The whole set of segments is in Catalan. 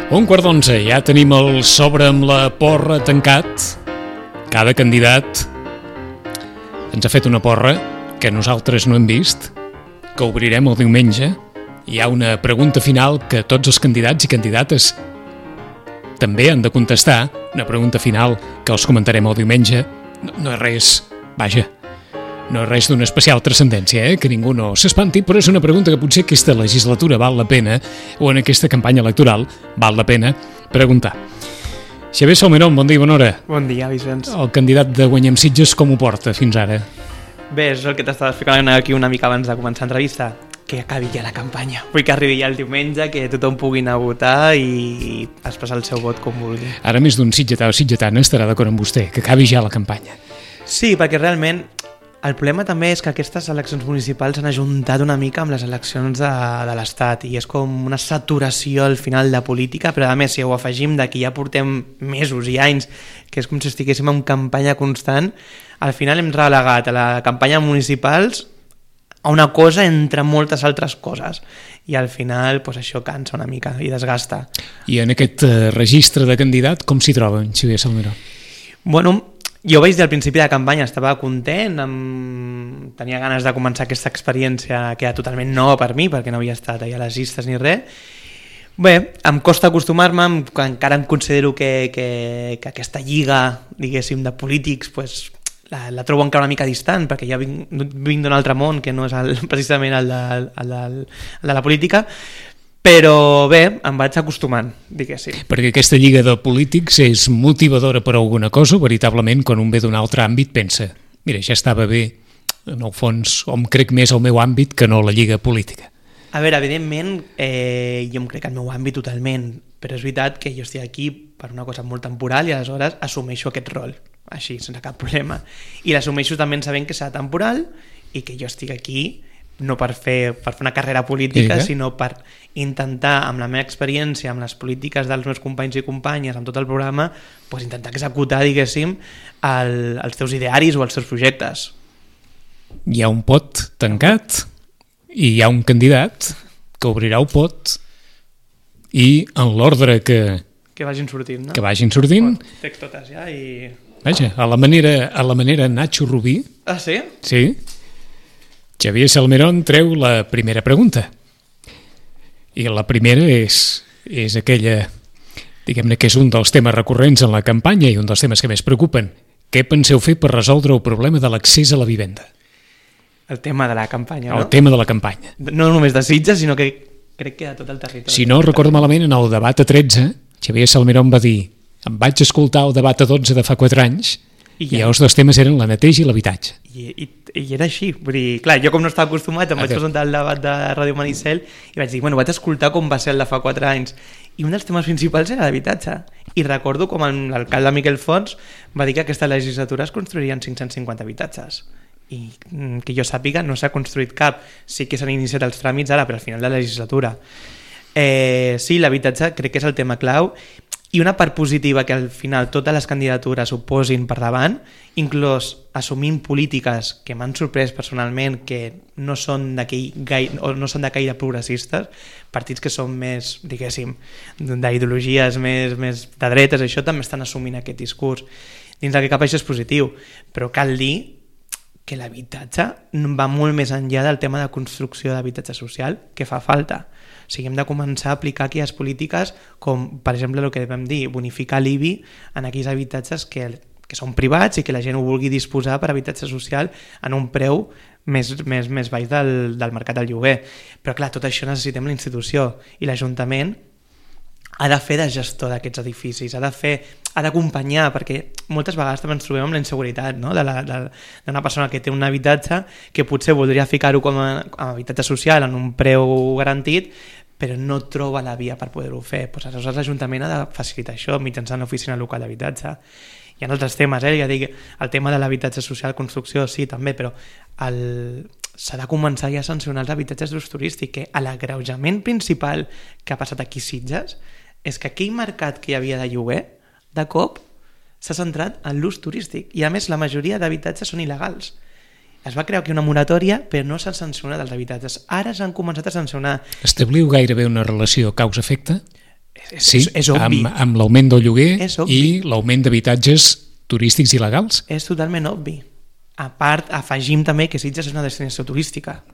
11:15, ja tenim el sobre amb la porra tancat. Cada candidat ens ha fet una porra que nosaltres no hem vist, que obrirem el diumenge. Hi ha una pregunta final que tots els candidats i candidates també han de contestar, una pregunta final que els comentarem el diumenge. No és res, vaja, no és res d'una especial transcendència, que ningú no s'espanti, però és una pregunta que potser aquesta legislatura val la pena, o en aquesta campanya electoral val la pena preguntar. Xavier Salmerón, bon dia i bona hora. Bon dia, Vicenç. El candidat de Guanyem Sitges com ho porta fins ara? Bé, és el que t'estava explicant aquí una mica abans de començar l'entrevista, que acabi ja la campanya. Vull que arribi ja el diumenge, que tothom pugui anar a votar i expressar el seu vot com vulgui. Ara més d'un sitgetà o sitgetana estarà d'acord amb vostè, que acabi ja la campanya. Sí, perquè realment el problema també és que aquestes eleccions municipals s'han ajuntat una mica amb les eleccions de l'Estat i és com una saturació al final de política, però a més si ho afegim d'aquí ja portem mesos i anys, que és com si estiguéssim en campanya constant, al final hem relegat a la campanya municipals a una cosa entre moltes altres coses i al final pues, això cansa una mica i desgasta. I en aquest registre de candidat com s'hi troba en Xavier Salmerón? Bueno, jo vaig dir al principi de la campanya, estava content, tenia ganes de començar aquesta experiència que era totalment nova per mi perquè no havia estat allà a les llistes ni res. Bé, em costa acostumar-me, encara em considero que aquesta lliga, diguéssim, de polítics pues, la trobo encara una mica distant perquè ja vinc d'un altre món que no és precisament el de la política, però bé, em vaig acostumant, diguéssim. Perquè aquesta lliga de polítics és motivadora per alguna cosa, veritablement, quan un ve d'un altre àmbit pensa, mira, ja estava bé, en el fons, o em crec més al meu àmbit que no la lliga política. A veure, evidentment, jo em crec al meu àmbit totalment, però és veritat que jo estic aquí per una cosa molt temporal i aleshores assumeixo aquest rol, així, sense cap problema. I l'assumeixo també sabent que serà temporal i que jo estic aquí no per fer una carrera política, sinó per intentar, amb la meva experiència, amb les polítiques dels meus companys i companyes, amb tot el programa, pues, intentar executar, diguéssim, els teus idearis o els teus projectes. Hi ha un pot tancat i hi ha un candidat que obrirà el pot i en l'ordre que vagin sortint, no? Que vagin sortint. Tec totes ja i... Vaja, a la manera Nacho Rubí. Ah, sí? Sí. Xavier Salmerón treu la primera pregunta. I la primera és aquella, diguem-ne que és un dels temes recurrents en la campanya i un dels temes que més preocupen. Què penseu fer per resoldre el problema de l'accés a la vivenda? El tema de la campanya, no? El tema de la campanya. No només de Sitges, sinó que crec que a tot el territori. Si no recordo malament, en el debat a 13, Xavier Salmerón va dir em vaig escoltar el debat a 12 de fa 4 anys i els dos temes eren la neteja i l'habitatge. I era així, vull dir, clar, jo com no estava acostumat em vaig presentar el debat de Ràdio Maricel i vaig dir, bueno, vaig escoltar com va ser el de fa 4 anys i un dels temes principals era l'habitatge i recordo com l'alcalde Miquel Fons va dir que aquesta legislatura es construirien 550 habitatges i que jo sàpiga no s'ha construït cap, sí que s'han iniciat els tràmits ara per al final de la legislatura. Sí, l'habitatge crec que és el tema clau i una part positiva que al final totes les candidatures ho posin per davant, inclús assumint polítiques que m'han sorprès personalment que no són de caire progressistes, partits que són més, diguéssim, d'ideologies més de dretes, això també estan assumint aquest discurs. Dins del que cap això és positiu, però cal dir que l'habitatge va molt més enllà del tema de construcció d'habitatge social que fa falta. O sigui, hem de començar a aplicar aquelles polítiques com, per exemple, el que vam dir, bonificar l'IBI en aquells habitatges que són privats i que la gent ho vulgui disposar per habitatge social en un preu més baix del mercat del lloguer. Però clar, tot això necessitem la institució i l'Ajuntament ha de fer de gestor d'aquests edificis, ha d'acompanyar, perquè moltes vegades també ens trobem amb la inseguretat, no? d'una persona que té un habitatge que potser voldria ficar-ho com a habitatge social en un preu garantit, però no troba la via per poder-ho fer. Pues aleshores l'Ajuntament ha de facilitar això mitjançant l'oficina local d'habitatge. Hi ha altres temes, ja dic, el tema de l'habitatge social, construcció, sí, també, però s'ha de començar ja a sancionar els habitatges d'ús turístic, que l'agreujament principal que ha passat aquí a Sitges és que aquell mercat que hi havia de lloguer, de cop, s'ha centrat en l'ús turístic i a més la majoria d'habitatges són il·legals. Es va crear aquí una moratòria però no s'han sancionat els habitatges. Ara s'han començat a sancionar. Establiu gairebé una relació causa-efecte? és obvi. Amb l'augment del lloguer i l'augment d'habitatges turístics il·legals. És totalment obvi. A part, afegim també que Sitges és una destinació turística.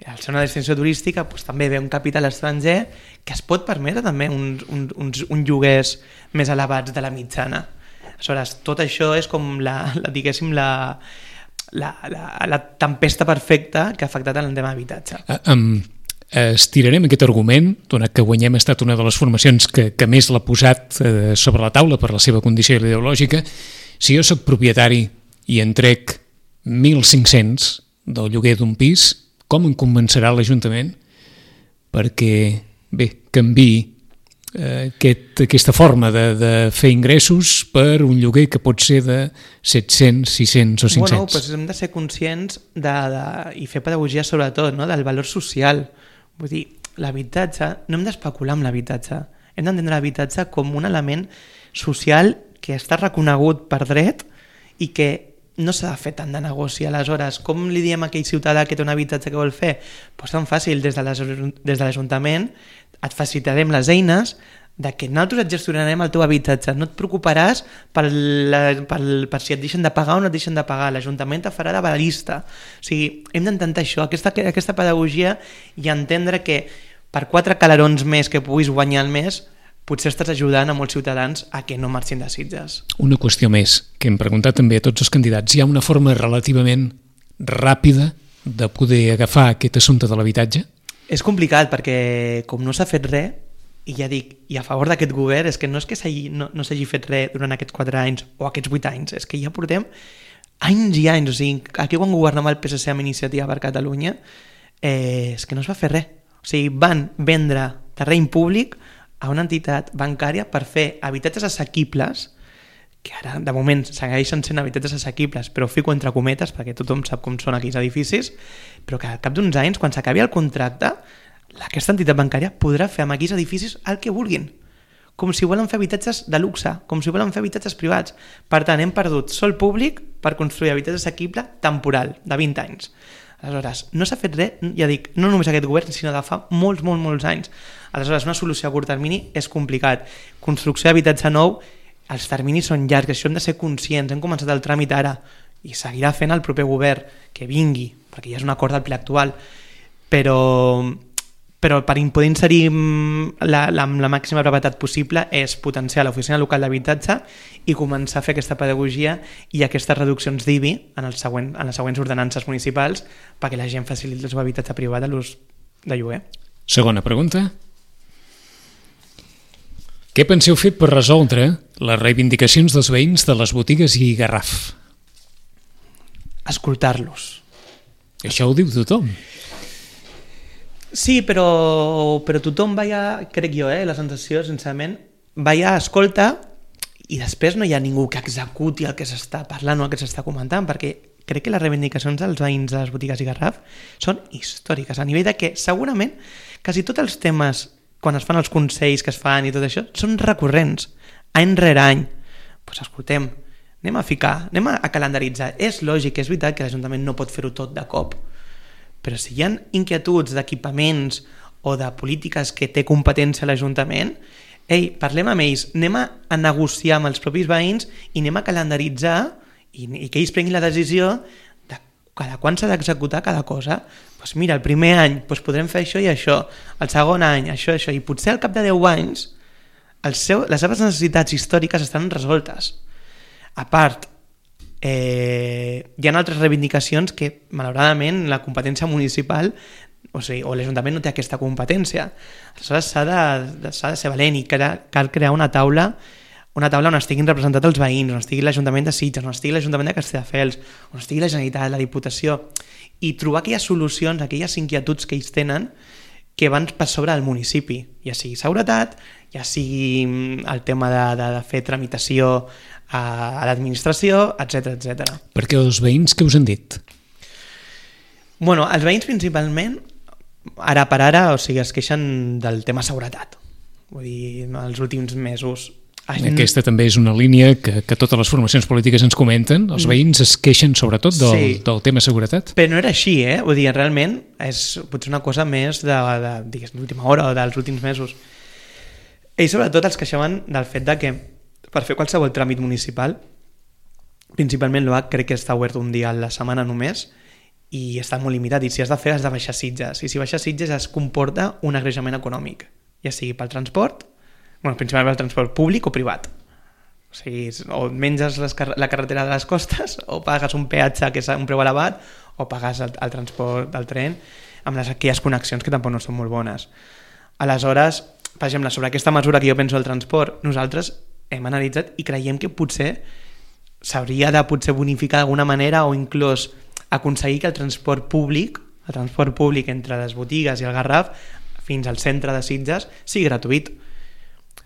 Al ser una destinació turística doncs, també ve un capital estranger que es pot permetre també uns lloguers més elevats de la mitjana. Aleshores, tot això és com la tempesta perfecta que ha afectat en el tema d'habitatge. Estirarem aquest argument, donat que Guanyem ha estat una de les formacions que més l'ha posat sobre la taula per la seva condició ideològica. Si jo soc propietari i en trec 1.500 del lloguer d'un pis, com em convencerà l'Ajuntament perquè, canviï aquesta forma de fer ingressos per un lloguer que pot ser de 700, 600 o 500? Bueno, doncs hem de ser conscients i fer pedagogia sobretot, no? Del valor social. Vull dir, l'habitatge, no hem d'especular amb l'habitatge. Hem d'entendre l'habitatge com un element social que està reconegut per dret i que no s'ha de fer tant de negoci. Aleshores, com li diem a aquell ciutadà que té un habitatge que vol fer? Doncs tan fàcil, des de l'Ajuntament et facilitarem les eines de que nosaltres et gestionarem el teu habitatge, no et preocuparàs per si et deixen de pagar o no et deixen de pagar, l'Ajuntament te farà de barista. O sigui, hem d'entendre això, aquesta pedagogia, i entendre que per 4 calarons més que puguis guanyar al mes potser estàs ajudant a molts ciutadans a que no marxin de Sitges. Una qüestió més, que hem preguntat també a tots els candidats. Hi ha una forma relativament ràpida de poder agafar aquest assumpte de l'habitatge? És complicat perquè com no s'ha fet res, i ja dic, i a favor d'aquest govern, és que no és que no s'hagi fet res durant aquests 4 anys o aquests 8 anys, és que ja portem anys i anys. O sigui, aquí quan governava el PSC amb Iniciativa per Catalunya, és que no es va fer res. O sigui, van vendre terreny públic a una entitat bancària per fer habitatges assequibles, que ara de moment segueixen sent habitatges assequibles, però ho fico entre cometes perquè tothom sap com són aquells edificis, però que al cap d'uns anys, quan s'acabi el contracte, aquesta entitat bancària podrà fer amb aquells edificis el que vulguin, com si volen fer habitatges de luxe, com si volen fer habitatges privats. Per tant, hem perdut sòl públic per construir habitatge assequible temporal, de 20 anys. Aleshores, no s'ha fet res, ja dic, no només aquest govern, sinó de fa molts anys. Aleshores, una solució a curt termini és complicat. Construcció d'habitatge nou, els terminis són llargs, això hem de ser conscients. Hem començat el tràmit ara i seguirà fent el proper govern que vingui, perquè ja és un acord del ple actual, però per poder inserir la màxima brevetat possible és potenciar l'oficina local d'habitatge i començar a fer aquesta pedagogia i aquestes reduccions d'IBI en les següents ordenances municipals perquè la gent faciliti el seu habitatge privat a l'ús de lloguer. Segona pregunta. Què penseu fer per resoldre les reivindicacions dels veïns de les botigues i Garraf? Escoltar-los. Això ho diu tothom. Sí, però tothom crec jo, la sensació, sincerament, escolta i després no hi ha ningú que executi el que s'està parlant o el que s'està comentant, perquè crec que les reivindicacions dels veïns de les botigues i Garraf són històriques, a nivell de que segurament quasi tots els temes, quan es fan els consells que es fan i tot això, són recurrents, any rere any. Doncs escoltem, anem a calendaritzar. És lògic, és veritat que l'Ajuntament no pot fer-ho tot de cop, però si hi ha inquietuds d'equipaments o de polítiques que té competència l'Ajuntament, parlem amb ells, anem a negociar amb els propis veïns i anem a calendaritzar i que ells prenguin la decisió de cada quan s'ha d'executar cada cosa. Doncs mira, el primer any podrem fer això i això, el segon any això, i potser al cap de 10 anys les seves necessitats històriques estan resoltes. A part, hi ha altres reivindicacions que malauradament la competència municipal o l'Ajuntament no té aquesta competència. Aleshores s'ha de ser valent i cal crear una taula on estiguin representats els veïns, on estigui l'Ajuntament de Sitges, on estigui l'Ajuntament de Castelldefels, on estigui la Generalitat, la Diputació, i trobar aquelles solucions, aquelles inquietuds que ells tenen que van per sobre del municipi, ja sigui seguretat, ja sigui el tema de fer tramitació a l'administració, etc. Perquè els veïns què us han dit? Bueno, els veïns principalment, ara per ara, es queixen del tema seguretat. Vull dir, els últims mesos. Aquesta també és una línia que totes les formacions polítiques ens comenten. Els veïns es queixen sobretot del tema seguretat. Però no era així, Vull dir, realment és potser una cosa més d'última hora o dels últims mesos. Ells sobretot els queixaven del fet de que per fer qualsevol tràmit municipal, principalment l'OAC crec que està obert un dia a la setmana només i està molt limitat, i si has de fer has de baixar Sitges, i si baixar Sitges es comporta un agreujament econòmic, ja sigui pel transport, principalment pel transport públic o privat. O sigui, o menges la carretera de les costes, o pagues un peatge que és un preu elevat, o pagues el transport del tren amb aquelles connexions que tampoc no són molt bones. Aleshores, per exemple, sobre aquesta mesura que jo penso del transport, nosaltres hem analitzat i creiem que potser s'hauria de bonificar d'alguna manera o inclús aconseguir que el transport públic entre les botigues i el Garraf fins al centre de Sitges sigui gratuït.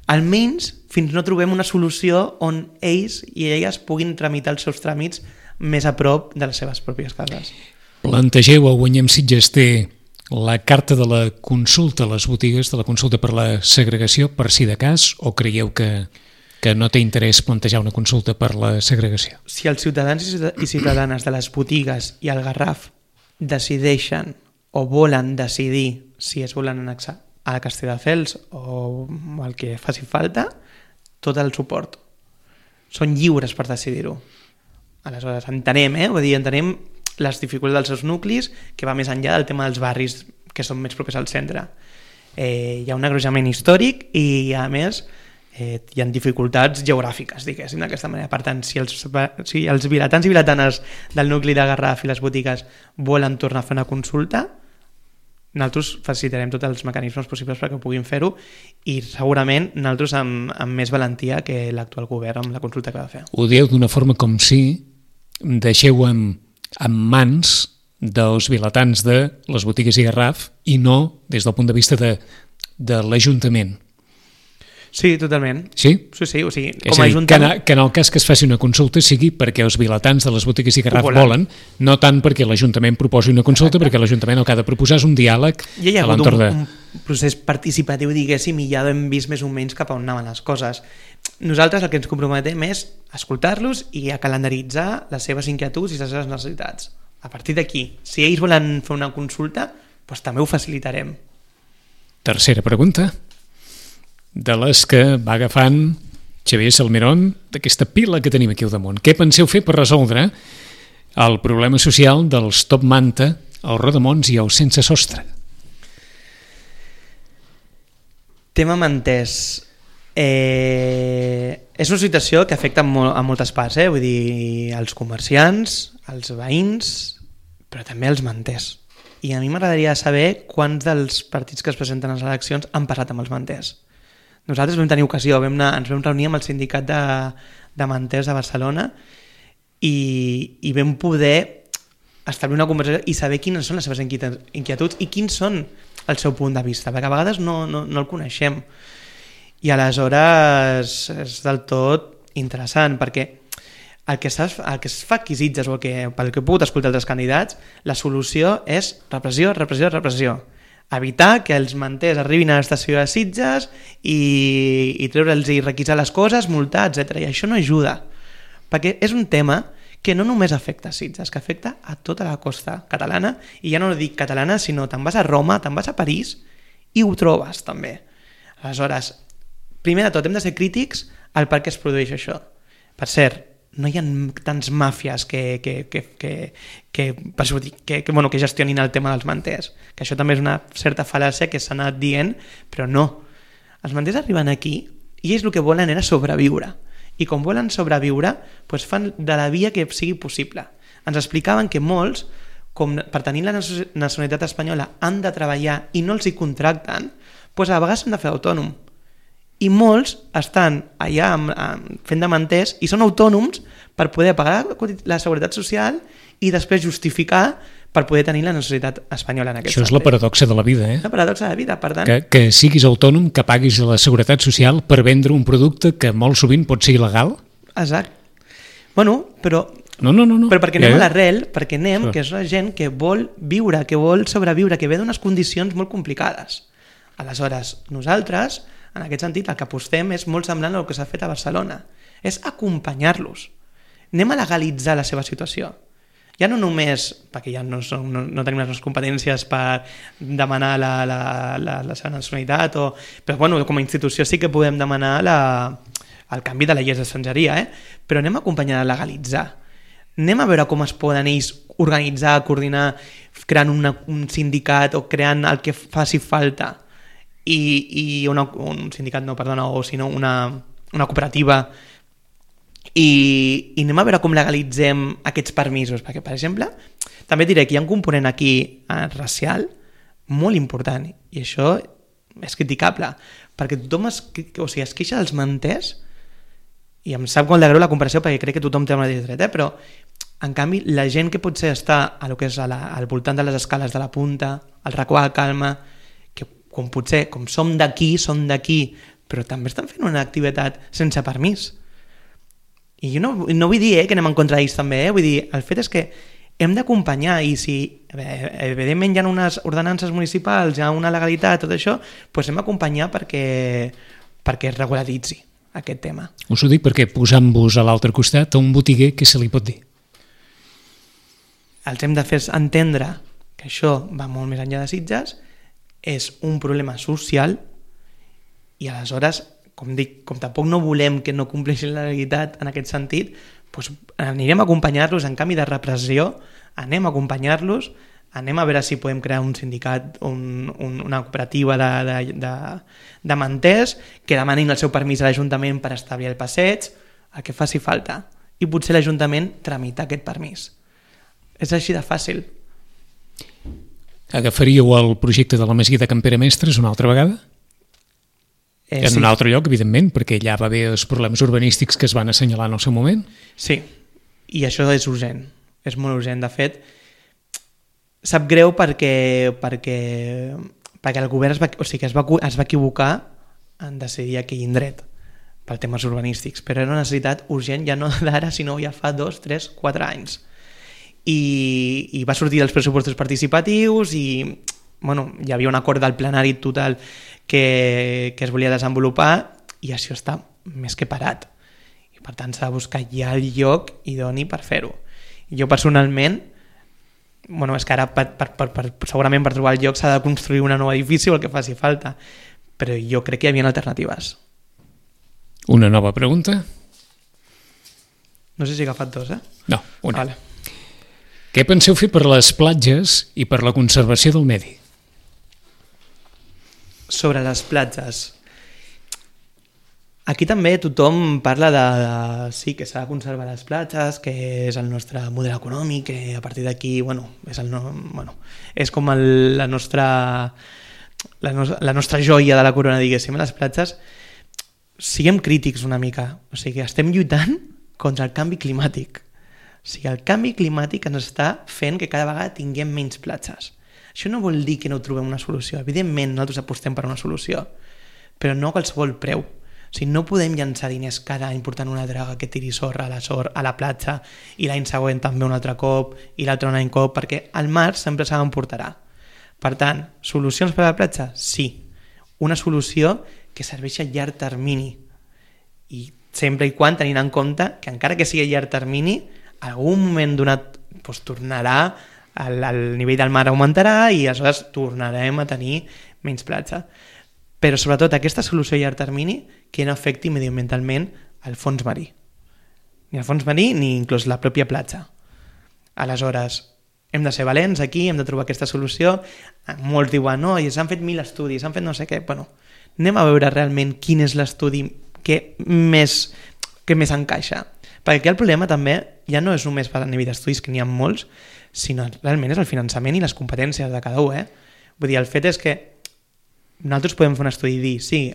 Almenys fins no trobem una solució on ells i elles puguin tramitar els seus tràmits més a prop de les seves pròpies cases. Plantegeu a Guanyem Sitges té la carta de la consulta a les botigues, de la consulta per la segregació, per si de cas, o creieu que no té interès plantejar una consulta per la segregació? Si els ciutadans i ciutadanes de les botigues i el Garraf decideixen o volen decidir si es volen annexar a Castelldefels o el que faci falta, tot el suport. Són lliures per decidir-ho. Aleshores, entenem les dificultats dels seus nuclis, que va més enllà del tema dels barris que són més propers al centre. Hi ha un agreujament històric i, a més, hi ha dificultats geogràfiques, diguéssim, d'aquesta manera. Per tant, si els vilatans i vilatanes del nucli de Garraf i les botigues volen tornar a fer una consulta, nosaltres facilitarem tots els mecanismes possibles perquè puguin fer-ho, i segurament nosaltres amb més valentia que l'actual govern amb la consulta que va fer. Ho dieu d'una forma com si deixeu en mans dels vilatans de les botigues i Garraf i no des del punt de vista de l'Ajuntament. Sí, totalment. Sí? Sí, o sigui, com a Ajuntament... Que en el cas que es faci una consulta sigui perquè els vilatans de les botigues i Garraf volen, no tant perquè l'Ajuntament proposi una consulta. Exacte. Perquè l'Ajuntament el que ha de proposar és un diàleg a l'entorn de... un procés participatiu, diguéssim, i ja hem vist més o menys cap a on anaven les coses. Nosaltres el que ens comprometem és escoltar-los i a calendaritzar les seves inquietuds i les seves necessitats. A partir d'aquí, si ells volen fer una consulta, doncs també ho facilitarem. Tercera pregunta, de les que va agafant Xavier Salmerón, d'aquesta pila que tenim aquí al damunt. Què penseu fer per resoldre el problema social dels top manta, els rodamons i els sense sostre? Tema manters. És una situació que afecta a moltes parts, vull dir, als comerciants, als veïns, però també als manters. I a mi m'agradaria saber quants dels partits que es presenten a les eleccions han passat amb els manters. Nosaltres vam tenir ocasió, ens vam reunir amb el sindicat de manters de Barcelona i vam poder establir una conversació i saber quines són les seves inquietuds i quins són el seu punt de vista, perquè a vegades no el coneixem. I aleshores és del tot interessant, perquè el que es fa aquí Sitges, o pel que he pogut escoltar altres candidats, la solució és repressió, repressió, repressió. Evitar que els manters arribin a l'estació de Sitges i treure'ls i requisar les coses, multar, etc. I això no ajuda, perquè és un tema que no només afecta a Sitges, que afecta a tota la costa catalana, i ja no dic catalana, sinó te'n vas a Roma, te'n vas a París i ho trobes també. Aleshores, primer de tot hem de ser crítics al per què es produeix això. Per cert, no hi ha tants màfies que gestionin el tema dels manters, que això també és una certa fal·làcia que s'ha anat dient, però no. Els manters arriben aquí i ells el que volen era sobreviure, i com volen sobreviure doncs fan de la via que sigui possible. Ens explicaven que molts, com per tenir la nacionalitat espanyola han de treballar i no els hi contracten, doncs a vegades s'han de fer autònom. I molts estan allà fent de manters i són autònoms per poder pagar la seguretat social i després justificar per poder tenir la nacionalitat espanyola en aquest sentit. Això és la paradoxa de la vida, La paradoxa de la vida, per tant... Que siguis autònom, que paguis la seguretat social per vendre un producte que molt sovint pot ser il·legal. Exacte. Bueno, però... No. Però perquè anem a l'arrel, perquè anem, que és la gent que vol viure, que vol sobreviure, que ve d'unes condicions molt complicades. Aleshores, nosaltres... En aquest sentit, el que apostem és molt semblant al que s'ha fet a Barcelona. És acompanyar-los. Anem a legalitzar la seva situació. Ja no només, perquè ja no tenim les nostres competències per demanar la seva nacionalitat, però bueno, com a institució sí que podem demanar el canvi de la llei d'estrangeria, però anem a acompanyar a legalitzar. Anem a veure com es poden ells organitzar, coordinar, creant un sindicat o creant el que faci falta i un sindicat, no, perdona, o sinó una cooperativa i anem a veure com legalitzem aquests permisos, perquè, per exemple, també diré que hi ha un component aquí racial molt important i això és criticable, perquè tothom es queixa dels manters i em sap molt de greu la comparació perquè crec que tothom té el mateix dret, però en canvi la gent que potser està a lo que és al voltant de les escales de la Punta, al racó de Calma, que com som d'aquí, però també estan fent una activitat sense permís. I jo no vull dir que anem en contra d'ells també, vull dir, el fet és que hem d'acompanyar i si evidentment hi ha unes ordenances municipals, hi ha una legalitat, tot això, doncs hem d'acompanyar perquè es regularitzi aquest tema. Us ho dic perquè posant-vos a l'altre costat a un botiguer, què se li pot dir? Els hem de fer entendre que això va molt més enllà de Sitges, és un problema social i aleshores, com dic, com tampoc no volem que no compleixin la legalitat en aquest sentit, doncs anirem a acompanyar-los en canvi de repressió, anem a acompanyar-los, anem a veure si podem crear un sindicat, una cooperativa de manters que demanin el seu permís a l'Ajuntament per establir el passeig, el que faci falta, i potser l'Ajuntament tramitar aquest permís. És així de fàcil. Agafaríeu el projecte de la Masia de Can Pere Mestres una altra vegada? En un altre lloc, evidentment, perquè allà va haver els problemes urbanístics que es van assenyalar en el seu moment? Sí, i això és urgent, és molt urgent. De fet, sap greu perquè el govern es va equivocar en decidir aquell indret per temes urbanístics, però era una necessitat urgent ja no d'ara, sinó ja fa 2, 3, 4 anys. I va sortir dels pressupostos participatius i hi havia un acord del plenari total que es volia desenvolupar i això està més que parat. I per tant s'ha de buscar ja el lloc idoni per fer-ho. Jo personalment, és que ara segurament per trobar el lloc s'ha de construir un nou edifici o el que faci falta, però jo crec que hi havia alternatives. Una nova pregunta? No sé si he agafat dos, No, una. Vale. Què penseu fer per les platges i per la conservació del medi? Sobre les platges. Aquí també tothom parla sí, que s'ha de conservar les platges, que és el nostre model econòmic, que a partir d'aquí, és com la nostra joia de la corona, diguéssim, les platges. Siguem crítics una mica, o sigui, estem lluitant contra el canvi climàtic. O sigui, el canvi climàtic ens està fent que cada vegada tinguem menys platges. Això no vol dir que no trobem una solució. Evidentment, nosaltres apostem per una solució, però no a qualsevol preu. O sigui, no podem llançar diners cada any portant una draga que tiri sorra a la platja i l'any següent també un altre cop i l'altre un any cop, perquè al mar sempre se n'emportarà. Per tant, solucions per a la platja? Sí. Una solució que serveixi a llarg termini i sempre i quan tenint en compte que encara que sigui a llarg termini, algun moment donat tornarà, el nivell del mar augmentarà i aleshores tornarem a tenir menys platja. Però sobretot aquesta solució a llarg termini que no afecti mediambientalment el fons marí. Ni el fons marí ni inclús la pròpia platja. Aleshores, hem de ser valents aquí, hem de trobar aquesta solució. Molts diuen, no, i s'han fet 1000 estudis, s'han fet no sé què. Anem a veure realment quin és l'estudi que més encaixa. Perquè aquí el problema també ja no és només per a nivell d'estudis, que n'hi ha molts, sinó realment és el finançament i les competències de cada un. Vull dir, el fet és que nosaltres podem fer un estudi i dir, sí,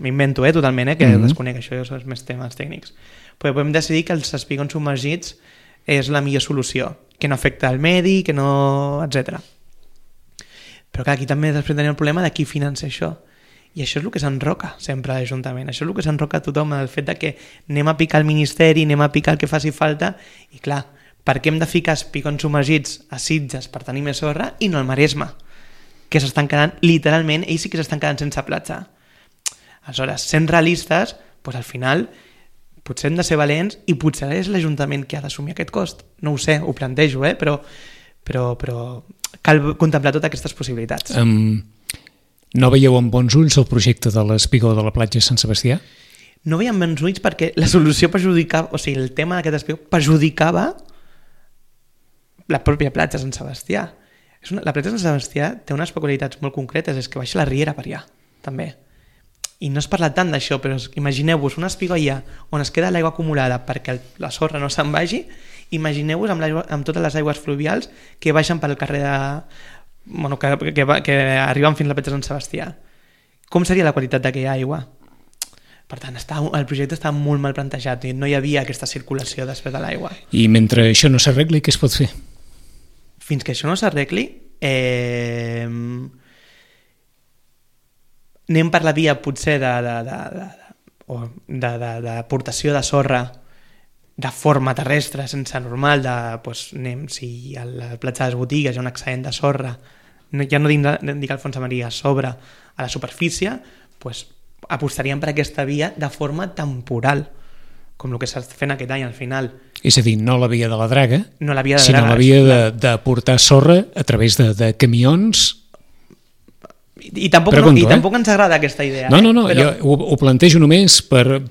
m'invento totalment, que desconec, això són més temes tècnics, però podem decidir que els espigons submergits és la millor solució, que no afecta el medi, que no... etc. Però clar, aquí també després tenim el problema de qui finança això. I això és el que s'enroca sempre a l'Ajuntament, això és el que s'enroca a tothom, el fet de que anem a picar el Ministeri, anem a picar el que faci falta, i clar, per què hem de ficar espigons submergits a Sitges per tenir més sorra i no al Maresme, que s'estan quedant, literalment, ells sí que s'estan quedant sense platja. Aleshores, sent realistes, al final potser hem de ser valents i potser és l'Ajuntament que ha d'assumir aquest cost. No ho sé, ho plantejo, però cal contemplar totes aquestes possibilitats. No veieu amb bons ulls el projecte de l'espigó de la platja de Sant Sebastià? No veiem bons ulls perquè la solució perjudicava, o sigui, el tema d'aquest espigó perjudicava la pròpia platja de Sant Sebastià. La platja de Sant Sebastià té unes peculiaritats molt concretes, és que baixa la riera per allà, també. I no es parla tant d'això, però imagineu-vos una espigó allà on es queda l'aigua acumulada perquè la sorra no se'n vagi, imagineu-vos amb totes les aigües fluvials que baixen pel carrer que arriben fins a la platja de Sant Sebastià. Com seria la qualitat d'aquella aigua? Per tant, el projecte estava molt mal plantejat i no hi havia aquesta circulació després de l'aigua. I mentre això no s'arregli, què es pot fer? Fins que això no s'arregli, anem per la via potser d'aportació de sorra de forma terrestre, sense normal, si a la platja de les botigues hi ha un excedent de sorra, ja no dic al fons de Maria, sobre a la superfície, apostaríem per aquesta via de forma temporal, com el que s'ha fent aquest any al final. És a dir, no la via de la draga, sinó la via de portar sorra a través de camions. I tampoc ens agrada aquesta idea. No, jo ho plantejo només per...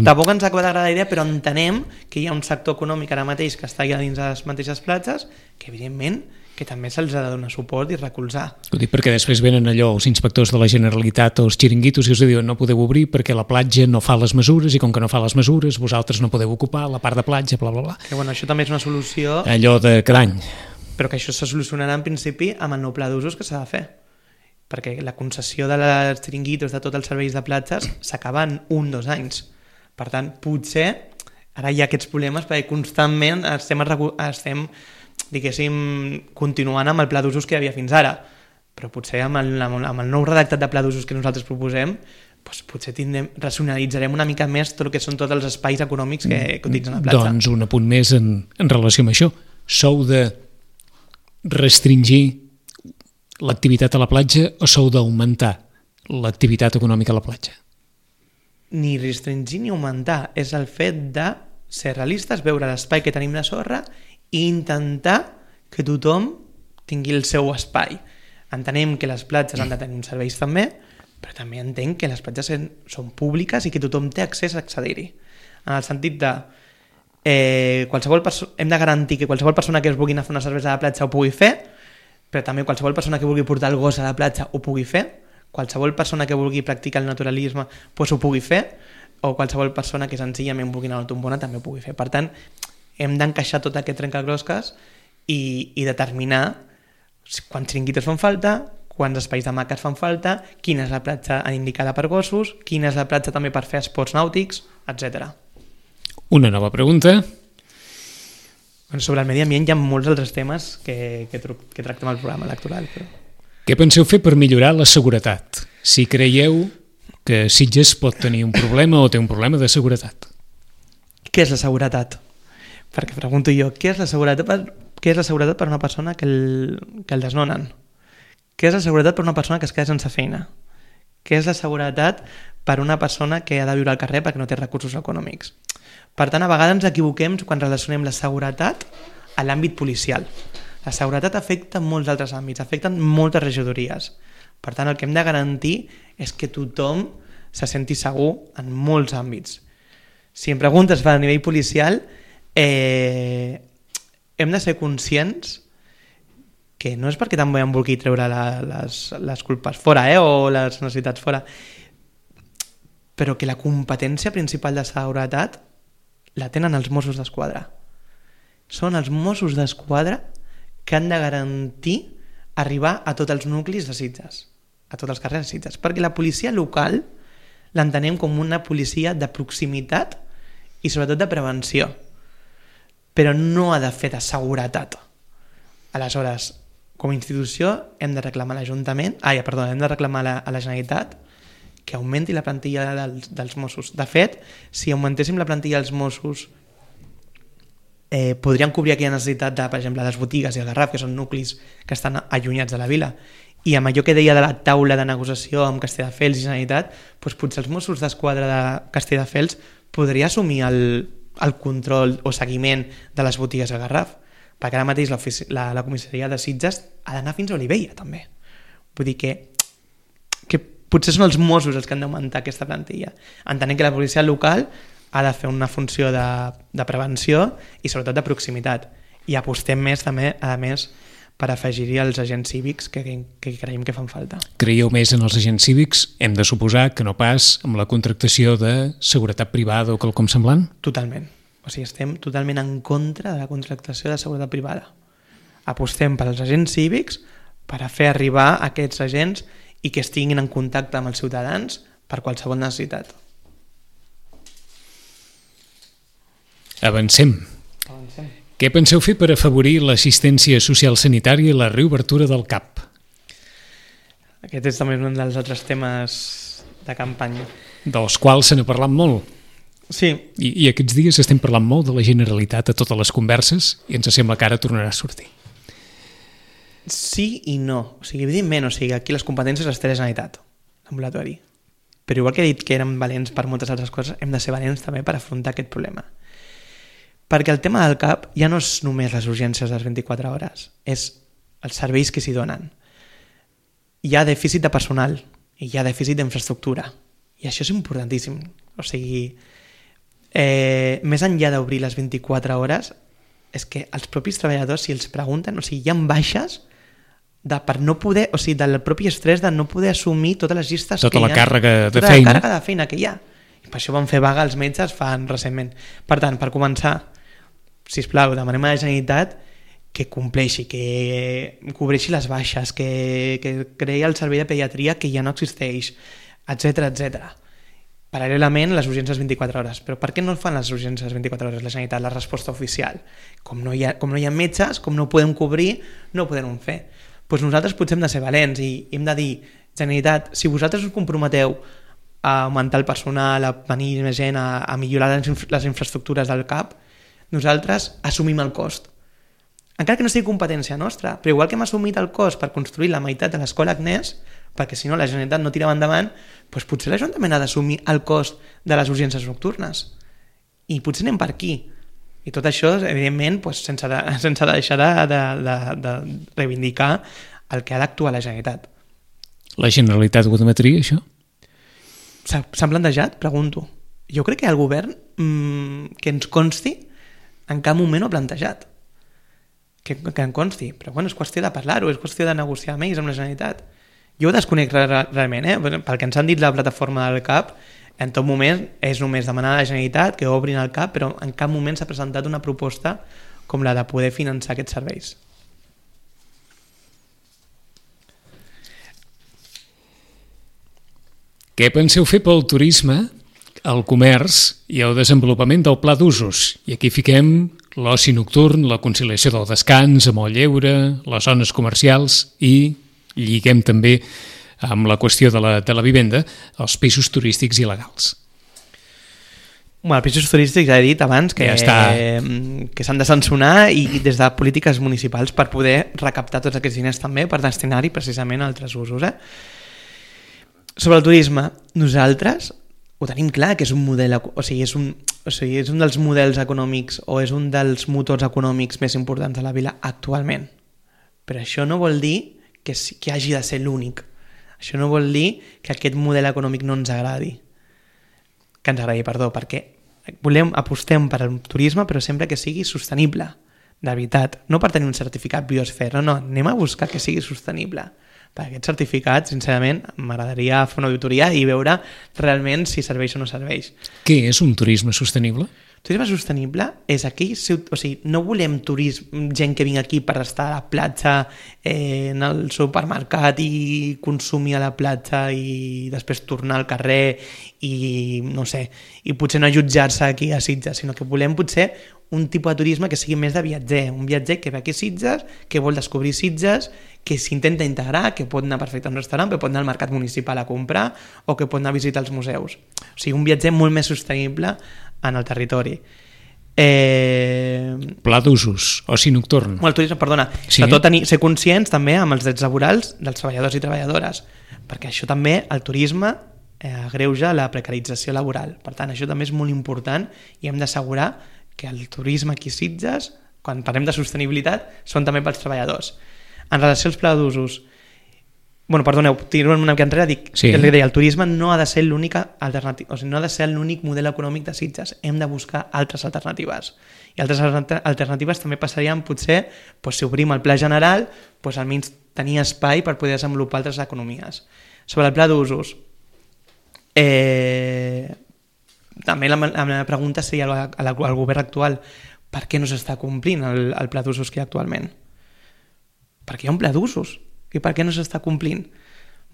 Tampoc ens agrada la idea, però entenem que hi ha un sector econòmic ara mateix que està allà dins de les mateixes platges, que evidentment que també se'ls ha de donar suport i recolzar. Ho dic perquè després venen allò els inspectors de la Generalitat o els xiringuitos i us diuen no podeu obrir perquè la platja no fa les mesures i com que no fa les mesures vosaltres no podeu ocupar la part de platja, bla, bla, bla. Que això també és una solució... Allò de cada any. Però que això se solucionarà en principi amb el nou pla d'usos que s'ha de fer. Perquè la concessió de les xiringuitos de tots els serveis de platges s'acaba en 1-2 anys. Per tant, potser ara hi ha aquests problemes perquè constantment estem diguéssim, continuant amb el pla d'usos que hi havia fins ara. Però potser amb el nou redactat de pla d'usos que nosaltres proposem, potser racionalitzarem una mica més tot el que són tots els espais econòmics que utilitzen la platja. Doncs un apunt més en relació amb això. Sou de restringir l'activitat a la platja o sou d'augmentar l'activitat econòmica a la platja? Ni restringir ni augmentar. És el fet de ser realistes, veure l'espai que tenim de sorra i intentar que tothom tingui el seu espai. Entenem que les platges han de tenir uns serveis també, però també entenc que les platges són públiques i que tothom té accés a accedir-hi. En el sentit de hem de garantir que qualsevol persona que es vulgui anar a fer una cervesa a la platja ho pugui fer, però també qualsevol persona que vulgui portar el gos a la platja ho pugui fer, qualsevol persona que vulgui practicar el naturalisme ho pugui fer, o qualsevol persona que senzillament vulgui anar a la tombona també ho pugui fer. Per tant, hem d'encaixar tot aquest trencaclosques i determinar quants xiringuitos fan falta, quants espais de maques fan falta, quina és la platja indicada per gossos, quina és la platja també per fer esports nàutics, etc. Una nova pregunta. Sobre el medi ambient hi ha molts altres temes que tractem al programa electoral. Però... Què penseu fer per millorar la seguretat? Si creieu que Sitges pot tenir un problema o té un problema de seguretat. Què és la seguretat? Perquè pregunto jo, què és la seguretat per una persona que el desnonen? Què és la seguretat per una persona que es queda sense feina? Què és la seguretat per una persona que ha de viure al carrer perquè no té recursos econòmics? Per tant, a vegades ens equivoquem quan relacionem la seguretat a l'àmbit policial. La seguretat afecta molts altres àmbits, afecta moltes regidories. Per tant, el que hem de garantir és que tothom se senti segur en molts àmbits. Si em preguntes a nivell policial, hem de ser conscients que no és perquè també em vulgui treure les culpes fora o les necessitats fora, però que la competència principal de seguretat la tenen els Mossos d'Esquadra. Són els Mossos d'Esquadra que han de garantir arribar a tots els nuclis de Sitges, a tots els carrers de Sitges, perquè la policia local l'entenem com una policia de proximitat i sobretot de prevenció, però no ha de fer de seguretat. Aleshores, com a institució hem de reclamar a l'Ajuntament, hem de reclamar a la Generalitat que augmenti la plantilla dels Mossos. De fet, si augmentéssim la plantilla dels Mossos, podrien cobrir aquella necessitat de, per exemple, les botigues i el Garraf, que són nuclis que estan allunyats de la vila. I amb allò que deia de la taula de negociació amb Castelldefels i Generalitat, doncs potser els Mossos d'Esquadra de Castelldefels podria assumir el control o seguiment de les botigues a Garraf, perquè ara mateix la comissaria de Sitges ha d'anar fins a Olivella també. Vull dir que potser són els Mossos els que han d'augmentar aquesta plantilla, entenent que la policia local ha de fer una funció de prevenció i sobretot de proximitat, i apostem més també, a més, per afegir-hi els agents cívics que creiem que fan falta. Creieu més en els agents cívics? Hem de suposar que no pas amb la contractació de seguretat privada o quelcom semblant? Totalment. O sigui, estem totalment en contra de la contractació de seguretat privada. Apostem per als agents cívics per a fer arribar aquests agents i que estiguin en contacte amb els ciutadans per qualsevol necessitat. Avancem. Què penseu fer per afavorir l'assistència social sanitària i la reobertura del CAP? Aquest és també un dels altres temes de campanya. Dels quals se n'ha parlat molt. Sí. I aquests dies estem parlant molt de la Generalitat a totes les converses i ens sembla que ara tornarà a sortir. Sí i no. O sigui, evidentment, aquí les competències les té la Generalitat, l'ambulatori. Però igual que he dit que érem valents per moltes altres coses, hem de ser valents també per afrontar aquest problema. Perquè el tema del CAP ja no és només les urgències de les 24 hores, és els serveis que s'hi donen. Hi ha dèficit de personal i hi ha dèficit d'infraestructura. I això és importantíssim. O sigui, més enllà d'obrir les 24 hores, és que els propis treballadors, si els pregunten, o sigui, hi ha baixes per no poder, o sigui, del propi estrès de no poder assumir totes les llistes tota que hi ha. Tota la càrrega de tota feina. La càrrega de feina que hi ha. I per això van fer vaga els metges recentment. Per tant, per començar, sisplau, demanem a la Generalitat que compleixi, que cobreixi les baixes, que creï el servei de pediatria que ja no existeix, etc. Paral·lelament, les urgències 24 hores. Però per què no fan les urgències 24 hores la Generalitat? La resposta oficial. Com no hi ha metges, com no ho podem cobrir, no ho podem fer. Doncs nosaltres potser hem de ser valents i hem de dir, Generalitat, si vosaltres us comprometeu a augmentar el personal, a venir més gent, a millorar les infraestructures del CAP, nosaltres assumim el cost. Encara que no sigui competència nostra, però igual que hem assumit el cost per construir la meitat de l'escola Agnès, perquè si no la Generalitat no tirava endavant, doncs potser l'Ajuntament ha d'assumir el cost de les urgències nocturnes. I potser anem per aquí. I tot això, evidentment, doncs, sense deixar de reivindicar el que ha d'actuar la Generalitat. La Generalitat ho admetria, això? S'han plantejat? Pregunto. Jo crec que el govern, que ens consti, en cap moment ho ha plantejat. Que en consti. Però bueno, és qüestió de parlar-ho, és qüestió de negociar amb ells, amb la Generalitat. Jo ho desconec realment, pel que ens han dit la plataforma del CAP, en tot moment és només demanar a la Generalitat que obrin el CAP, però en cap moment s'ha presentat una proposta com la de poder finançar aquests serveis. Què penseu fer pel turisme, el comerç i el desenvolupament del pla d'usos? I aquí fiquem l'oci nocturn, la conciliació del descans amb el lleure, les zones comercials i lliguem també amb la qüestió de la vivenda, els pisos turístics il·legals. Bueno, els pisos turístics ja he dit abans que s'han de sancionar i des de polítiques municipals per poder recaptar tots aquests diners també per destinar-hi precisament a altres usos. Sobre el turisme, nosaltres ho tenim clar que és un model, és un dels models econòmics o és un dels motors econòmics més importants de la vila actualment. Però això no vol dir que hagi de ser l'únic. Això no vol dir que aquest model econòmic no ens agradi. Perquè apostem per al turisme, però sempre que sigui sostenible, de veritat. No per tenir un certificat biosfera, no, anem a buscar que sigui sostenible. Per aquest certificat, sincerament, m'agradaria fer una auditoria i veure realment si serveix o no serveix. Què és un turisme sostenible? Turisme sostenible és aquí, no volem gent que vingui aquí per estar a la platja, en el supermercat i consumir a la platja i després tornar al carrer i no sé, i potser no jutjar-se aquí a Sitges, sinó que volem potser un tipus de turisme que sigui més de viatger, un viatger que ve aquí a Sitges, que vol descobrir Sitges, que s'intenta integrar, que pot anar perfecte a un restaurant, que pot anar al mercat municipal a comprar o que pot anar a visitar els museus. O sigui, un viatger molt més sostenible en el territori. Pla d'usos, oci nocturn. El turisme, perdona. Sí. Sobretot ser conscients també amb els drets laborals dels treballadors i treballadores, perquè això també, el turisme, agreuja la precarització laboral. Per tant, això també és molt important i hem d'assegurar que el turisme aquí a Sitges, quan parlem de sostenibilitat, són també pels treballadors. En relació als pla d'usos, perdoneu, tiro una mica enrere, dic, sí. El turisme no ha de ser l'únic alternativa, o sigui, no ha de ser l'únic model econòmic de Sitges, hem de buscar altres alternatives. I altres alternatives també passarien, potser, si obrim el pla general, almenys tenir espai per poder desenvolupar altres economies. Sobre el pla d'usos, també la meva pregunta seria al govern actual, per què no s'està complint el pla d'usos que hi ha actualment? Perquè hi ha un pla d'usos. I per què no s'està complint?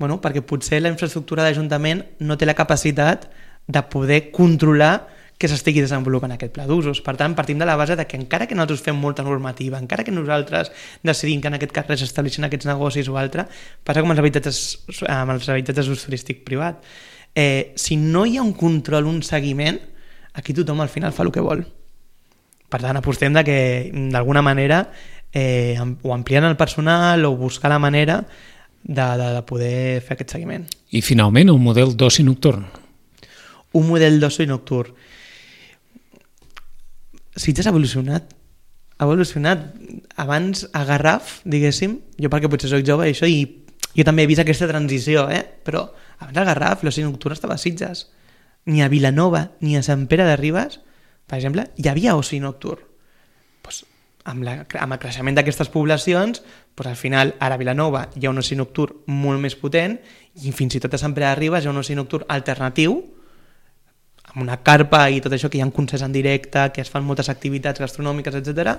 Perquè potser la infraestructura d'Ajuntament no té la capacitat de poder controlar que s'estigui desenvolupant aquest pla d'usos. Per tant, partim de la base de que encara que nosaltres fem molta normativa, encara que nosaltres decidim que en aquest carrer s'estableixin aquests negocis o altre, passa com amb els habitatges d'ús turístic privat. Si no hi ha un control, un seguiment, aquí tothom al final fa el que vol. Per tant, apostem de que d'alguna manera o ampliant el personal o buscar la manera de poder fer aquest seguiment. I finalment el model d'oci nocturn. Un model d'oci nocturn. Sitges ha evolucionat. Abans a Garraf, diguéssim, jo perquè potser soc jove i això, i jo també he vist aquesta transició, però abans a Garraf l'oci nocturn estava a Sitges. Ni a Vilanova ni a Sant Pere de Ribes, per exemple, hi havia oci nocturn. Amb el creixement d'aquestes poblacions, al final ara a Vilanova hi ha un oci nocturn molt més potent i fins i tot a Sant Pere de Ribes hi ha un oci nocturn alternatiu amb una carpa i tot això, que hi ha un concert en directe, que es fan moltes activitats gastronòmiques, etc.,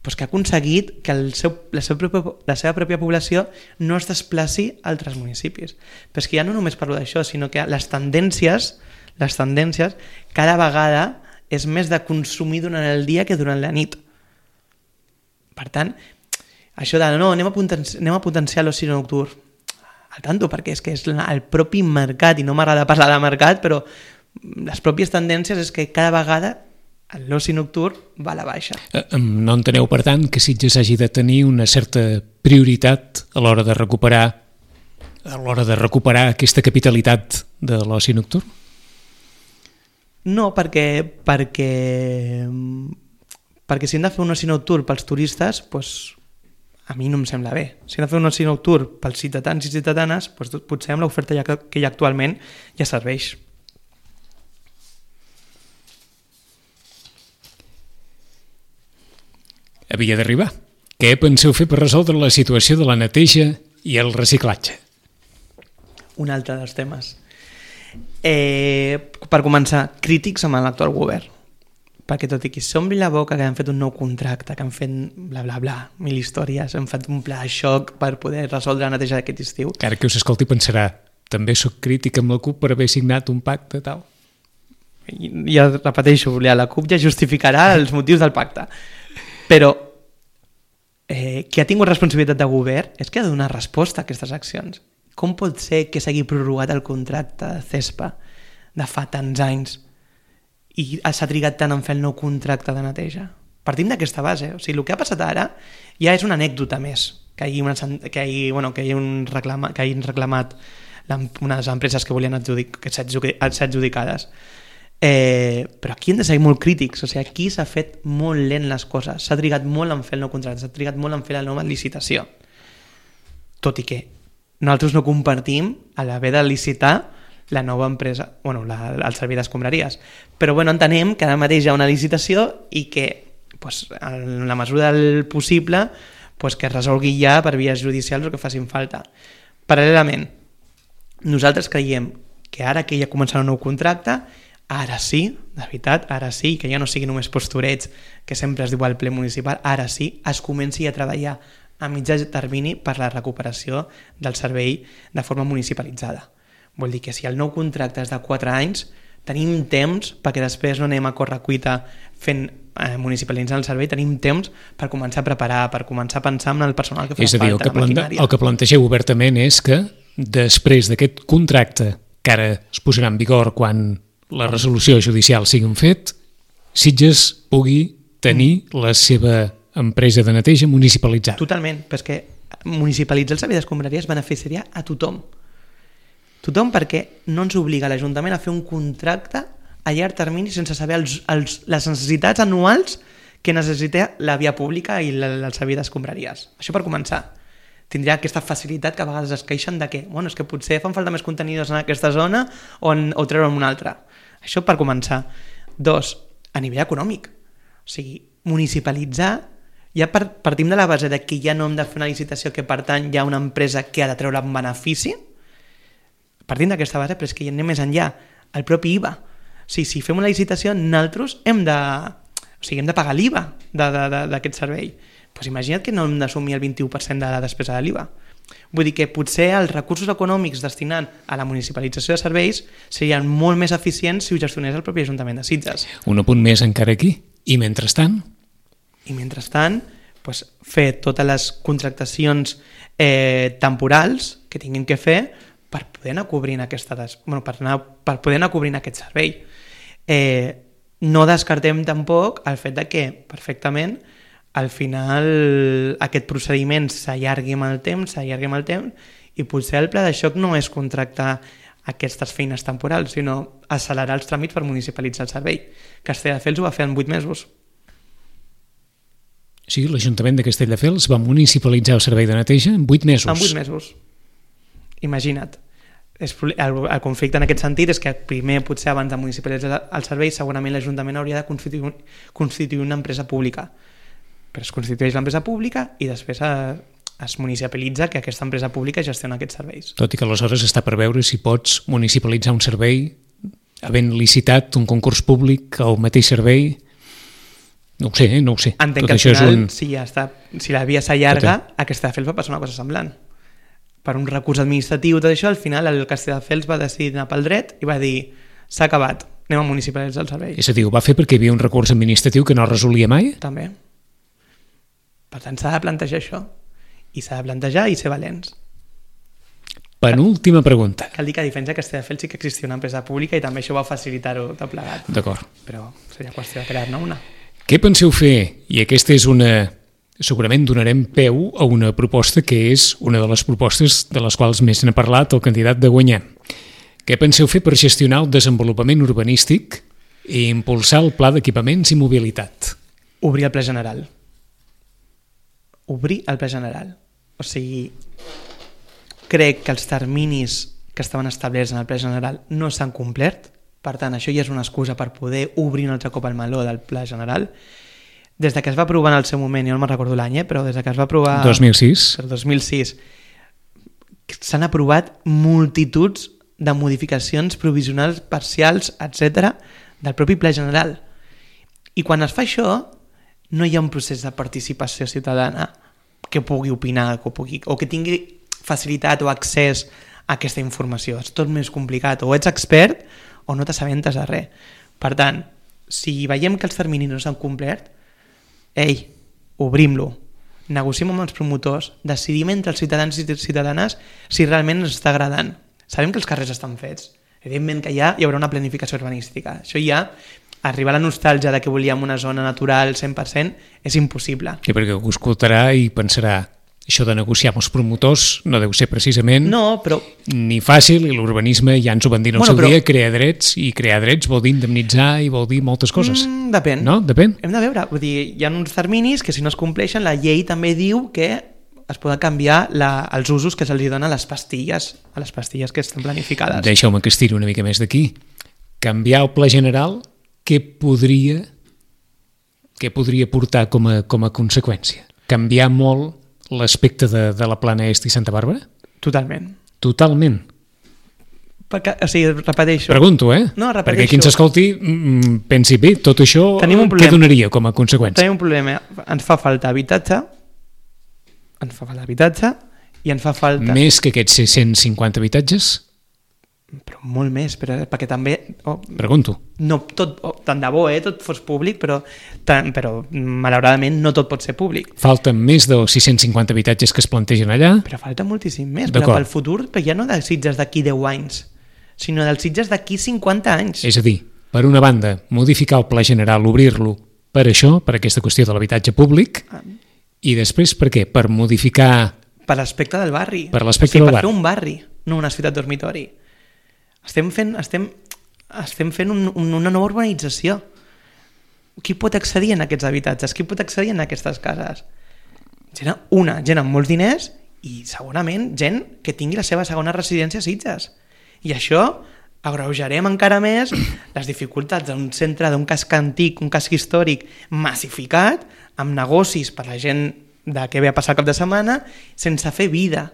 que ha aconseguit que la seva pròpia població no es desplaci a altres municipis. Però és que ja no només parlo d'això, sinó que les tendències cada vegada és més de consumir durant el dia que durant la nit. Per tant, això de no, anem a potenciar l'oci nocturn, al tanto, perquè és que és el propi mercat, i no m'agrada parlar de mercat, però les pròpies tendències és que cada vegada l'oci nocturn va a la baixa. No enteneu, per tant, que Sitges hagi de tenir una certa prioritat a l'hora de recuperar aquesta capitalitat de l'oci nocturn? No, perquè si hem de fer un oci nocturn pels turistes, a mi no em sembla bé. Si hem de fer un oci nocturn pels ciutadans i ciutadanes, potser amb l'oferta que hi ha actualment ja serveix. Havia d'arribar. Què penseu fer per resoldre la situació de la neteja i el reciclatge? Un altre dels temes. Per començar, crítics amb l'actual govern. Perquè tot i que s'ombri la boca que han fet un nou contracte, que han fet bla bla bla, 1000 històries, han fet un pla de xoc per poder resoldre la neteja d'aquest estiu. Ara que us escolti pensarà, també sóc crític amb la CUP per haver signat un pacte tal. Ja repeteixo, la CUP ja justificarà els motius del pacte. Però qui ha tingut responsabilitat de govern és que ha de donar resposta a aquestes accions. Com pot ser que s'hagi prorrogat el contracte de CESPA de fa tants anys i s'ha trigat tant en fer el nou contracte de neteja? Partim d'aquesta base. O sigui, el que ha passat ara ja és una anècdota més, que hagin reclamat unes empreses que volien ser adjudicades. Però aquí hem de ser molt crítics. O sigui, aquí s'ha fet molt lent les coses, s'ha trigat molt en fer el nou contracte, s'ha trigat molt en fer la nova licitació, tot i que nosaltres no compartim a l'haver de licitar la nova empresa, el servei d'escombraries, però entenem que ara mateix hi ha una licitació i que en la mesura del possible que es resolgui ja per vies judicials o que facin falta. Paral·lelament, nosaltres creiem que ara que ja començarà un nou contracte, ara sí, de veritat, ara sí, que ja no sigui només posturets que sempre es diu al ple municipal, ara sí, es comenci a treballar a mitjà termini per la recuperació del servei de forma municipalitzada. Vol dir que si el nou contracte és de 4 anys, tenim temps, perquè després no anem a correcuita fent municipalitzant el servei, tenim temps per començar a preparar, per començar a pensar en el personal que fa falta. És a dir, el que plantegeu obertament és que després d'aquest contracte, que ara es posarà en vigor quan la resolució judicial sigui un fet, Sitges pugui tenir la seva empresa de neteja municipalitzada. Totalment, perquè municipalitzar el servei d'escombraries beneficiaria a tothom. Tothom, perquè no ens obliga l'Ajuntament a fer un contracte a llarg termini sense saber les necessitats anuals que necessita la via pública i el servei d'escombraries. Això per començar. Tindria aquesta facilitat que a vegades es queixen de que, bueno, és que potser fan falta més contenidors en aquesta zona o treure'n una altra. Això per començar. 2, a nivell econòmic. O sigui, municipalitzar, ja partim de la base de que ja no hem de fer una licitació que per tant hi ha una empresa que ha de treure un benefici. Partim d'aquesta base, però és que ja anem més enllà. El propi IVA. O sigui, si fem una licitació, nosaltres hem de pagar l'IVA d'aquest servei. Doncs imagina't que no hem d'assumir el 21% de la despesa de l'IVA. Vull dir que potser els recursos econòmics destinant a la municipalització de serveis serien molt més eficients si ho gestionés el propi Ajuntament de Sitges. Un apunt més encara aquí. I mentrestant, doncs, fer totes les contractacions temporals que tinguin que fer per poder anar cobrint per poder anar cobrint aquest servei. No descartem tampoc el fet de que perfectament al final aquest procediment s'allargui amb el temps i potser el pla de xoc no és contractar aquestes feines temporals, sinó accelerar els tràmits per municipalitzar el servei. Castelldefels ho va fer en 8 mesos. Sí, l'Ajuntament de Castelldefels va municipalitzar el servei de neteja en 8 mesos. En 8 mesos. Imagina't. El conflicte en aquest sentit és que primer, potser abans de municipalitzar el servei, segurament l'Ajuntament hauria de constituir una empresa pública. Però es constitueix l'empresa pública i després es municipalitza que aquesta empresa pública gestiona aquests serveis. Tot i que aleshores està per veure si pots municipalitzar un servei havent licitat un concurs públic al mateix servei. No ho sé. Entenc que al final, si la via s'allarga, a Castelldefels va passar una cosa semblant. Per un recurs administratiu, tot això, al final el Castelldefels va decidir anar pel dret i va dir, s'ha acabat, anem a municipalitzar el servei. És a dir, ho va fer perquè hi havia un recurs administratiu que no resolia mai? També. Per tant, s'ha de plantejar això. I s'ha de plantejar i ser valents. Penúltima pregunta. Cal dir que a diferència de Castelldefels sí que existia una empresa pública i també això va facilitar-ho tot plegat. D'acord. Però seria qüestió de crear-ne una. Què penseu fer? I aquesta és segurament donarem peu a una proposta que és una de les propostes de les quals més n'ha parlat el candidat de guanyar. Què penseu fer per gestionar el desenvolupament urbanístic i impulsar el pla d'equipaments i mobilitat? Obrir el ple general. Obrir el ple general. O sigui, crec que els terminis que estaven establerts en el ple general no s'han complert. Per tant, això ja és una excusa per poder obrir un altre cop el meló del pla general. Des que es va aprovar en el seu moment, jo no me'n recordo l'any, però des que es va aprovar... 2006. El 2006. S'han aprovat multituds de modificacions provisionals, parcials, etc., del propi ple general. I quan es fa això, no hi ha un procés de participació ciutadana que pugui opinar o que tingui facilitat o accés a aquesta informació. És tot més complicat. O ets expert o no t'assabentes de res. Per tant, si veiem que els terminis no s'han complert, obrim-lo, negociem amb els promotors, decidim entre els ciutadans i ciutadanes si realment ens està agradant. Sabem que els carrers estan fets. Evidentment que hi haurà una planificació urbanística. Això ja, arribar a la nostàlgia de que volíem una zona natural 100% és impossible. Sí, perquè ho escoltarà i pensarà això de negociar amb els promotors no deu ser precisament ni fàcil, i l'urbanisme ja ens ho van dir en el seu dia, crear drets vol dir indemnitzar i vol dir moltes coses. Depèn. No? Depèn. Hem de veure, vull dir, hi ha uns terminis que si no es compleixen, la llei també diu que es poden canviar els usos que se'ls donen a les pastilles que estan planificades. Deixeu-me que estiri una mica més d'aquí. Canviar el pla general, què podria portar com a conseqüència? Canviar molt l'aspecte de la Plana Est i Santa Bàrbara? Totalment. Totalment? Perquè, o sigui, repeteixo. Pregunto, No, repeteixo. Perquè qui ens escolti pensi, bé, tot això què donaria com a conseqüència? Tenim un problema. Ens fa falta habitatge i ens fa falta... Més que aquests 650 habitatges? Però molt més, perquè també... Pregunto. No, tant de bo, tot fos públic, però malauradament no tot pot ser públic. Falten més dels 650 habitatges que es plantegen allà? Però falta moltíssim més, però pel futur, però ja no de Sitges d'aquí 10 anys, sinó dels Sitges d'aquí 50 anys. És a dir, per una banda, modificar el pla general, obrir-lo per això, per aquesta qüestió de l'habitatge públic, i després per què? Per modificar... Per l'aspecte del barri. Per l'aspecte del barri. Per fer un barri, no una ciutat dormitori. Estem fent una nova urbanització. Qui pot accedir en aquests habitatges? Qui pot accedir en aquestes cases? Gent amb molts diners i segurament gent que tingui la seva segona residència a Sitges. I això agreujarem encara més les dificultats d'un centre, d'un casc antic, un casc històric massificat, amb negocis per la gent de què ve a passar el cap de setmana, sense fer vida.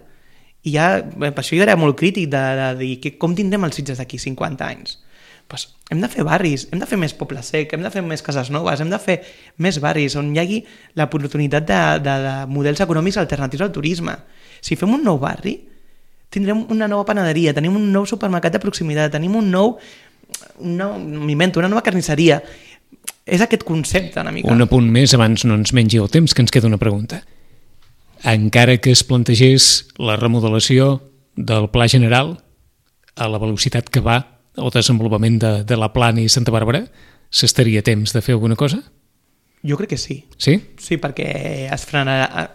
I per això jo era molt crític de dir com tindrem els Sitges d'aquí 50 anys. Pues hem de fer barris, hem de fer més poble sec, hem de fer més cases noves, hem de fer més barris on hi hagi l'oportunitat de models econòmics alternatius al turisme. Si fem un nou barri, tindrem una nova panaderia, tenim un nou supermercat de proximitat, tenim una nova carnisseria. És aquest concepte una mica. Un apunt més abans no ens mengi el temps, que ens queda una pregunta. Encara que es plantegés la remodelació del Pla General a la velocitat que va el desenvolupament de la Plana i Santa Bàrbara, s'estaria a temps de fer alguna cosa? Jo crec que sí. Sí? Sí, perquè es frenarà.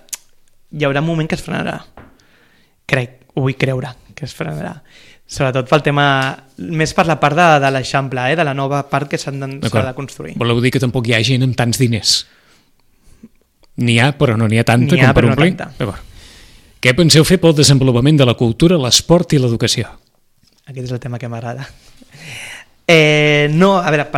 Hi haurà un moment que es frenarà. Ho vull creure que es frenarà. Sobretot pel tema, més per la part de l'Eixample, de la nova part que s'ha de construir. Voleu dir que tampoc hi ha gent amb tants diners? N'hi ha, però no n'hi ha tanta com per omplir? Què penseu fer pel desenvolupament de la cultura, l'esport i l'educació? Aquest és el tema que m'agrada. No, a veure,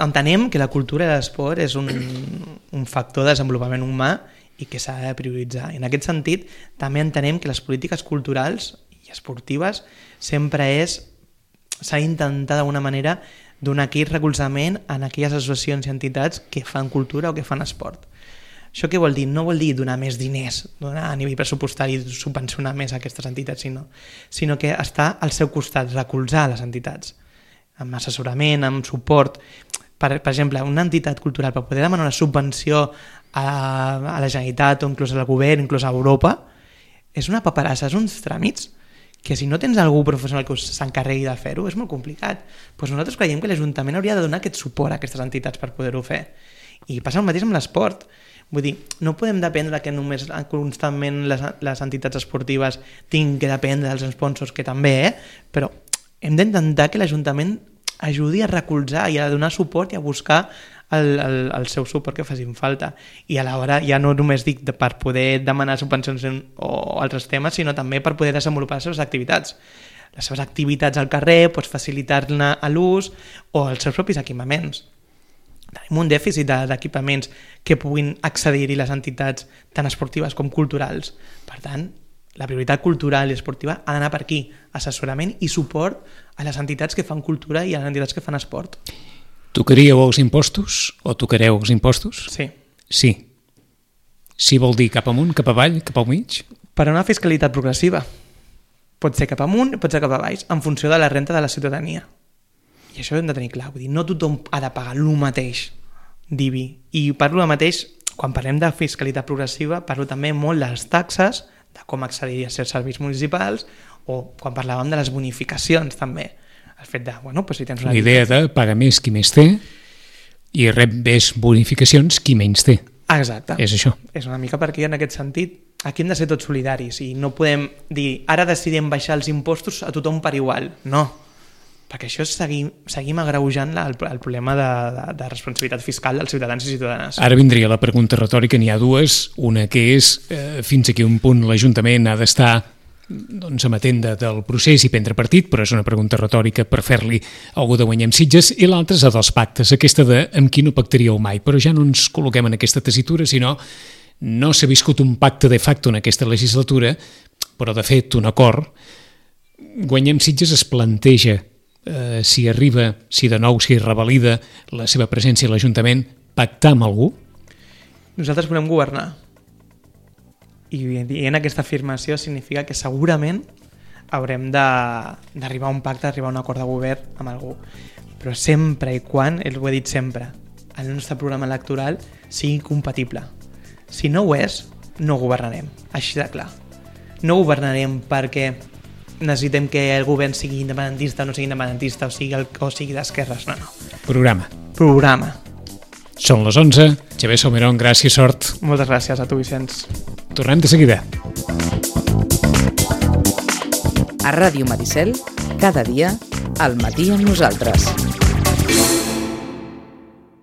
entenem que la cultura i l'esport és un factor de desenvolupament humà i que s'ha de prioritzar. En aquest sentit, també entenem que les polítiques culturals i esportives sempre s'ha d'intentar d'alguna manera donar aquell recolzament en aquelles associacions i entitats que fan cultura o que fan esport. Això què vol dir? No vol dir donar més diners, donar a nivell pressupostari, subvencionar més aquestes entitats, sinó que estar al seu costat, recolzar les entitats, amb assessorament, amb suport. Per exemple, una entitat cultural per poder demanar una subvenció a la Generalitat o inclús al govern, inclús a Europa, és una paperassa, és uns tràmits que si no tens algú professional que s'encarregui de fer-ho és molt complicat. Doncs nosaltres creiem que l'Ajuntament hauria de donar aquest suport a aquestes entitats per poder-ho fer. I passa el mateix amb l'esport. Vull dir, no podem dependre que només constantment les entitats esportives tinguin que dependre dels sponsors, que també, però hem d'intentar que l'Ajuntament ajudi a recolzar i a donar suport i a buscar el seu suport que facin falta. I alhora ja no només dic per poder demanar subvencions o altres temes, sinó també per poder desenvolupar les seves activitats. Les seves activitats al carrer, facilitar-ne a l'ús o els seus propis equipaments. Tenim un dèficit d'equipaments que puguin accedir-hi les entitats tant esportives com culturals. Per tant, la prioritat cultural i esportiva ha d'anar per aquí, assessorament i suport a les entitats que fan cultura i a les entitats que fan esport. Tocaríeu els impostos o tocareu els impostos? Sí. Sí. Sí vol dir cap amunt, cap avall, cap al mig? Per a una fiscalitat progressiva. Pot ser cap amunt, pot ser cap avall, en funció de la renta de la ciutadania. I això ho hem de tenir clar, vull dir, no tothom ha de pagar el mateix d'IBI. I parlo del mateix, quan parlem de fiscalitat progressiva, parlo també molt de les taxes, de com accedir a certs serveis municipals, o quan parlàvem de les bonificacions també. El fet de, si tens una... La idea de pagar més qui més té i rep més bonificacions qui menys té. Exacte. És això. És una mica perquè en aquest sentit aquí hem de ser tots solidaris i no podem dir ara decidim baixar els impostos a tothom per igual. No. Perquè això seguim agreujant el problema de responsabilitat fiscal dels ciutadans i ciutadanes. Ara vindria la pregunta retòrica, n'hi ha dues. Una que és fins a quin punt l'Ajuntament ha d'estar amatent del procés i prendre partit, però és una pregunta retòrica per fer-li algú de Guanyem Sitges, i l'altra és la dels pactes, aquesta de amb qui no pactaríeu mai, però ja no ens col·loquem en aquesta tessitura, sinó no s'ha viscut un pacte de facto en aquesta legislatura, però de fet un acord. Guanyem Sitges es planteja si arriba, si de nou s'hi revalida la seva presència a l'Ajuntament, pactar amb algú? Nosaltres volem governar. I en aquesta afirmació significa que segurament haurem d'arribar a un pacte, d'arribar a un acord de govern amb algú. Però sempre i quan, ho he dit sempre, el nostre programa electoral sigui compatible. Si no ho és, no governarem, així de clar. No governarem perquè necessitem que el govern sigui independentista o no sigui independentista o sigui d'esquerres, no. Programa. Són les 11. Xavier Salmerón, gràcies, sort. Moltes gràcies a tu, Vicenç. Tornem de seguida. A Ràdio Maricel, cada dia, Al matí amb nosaltres.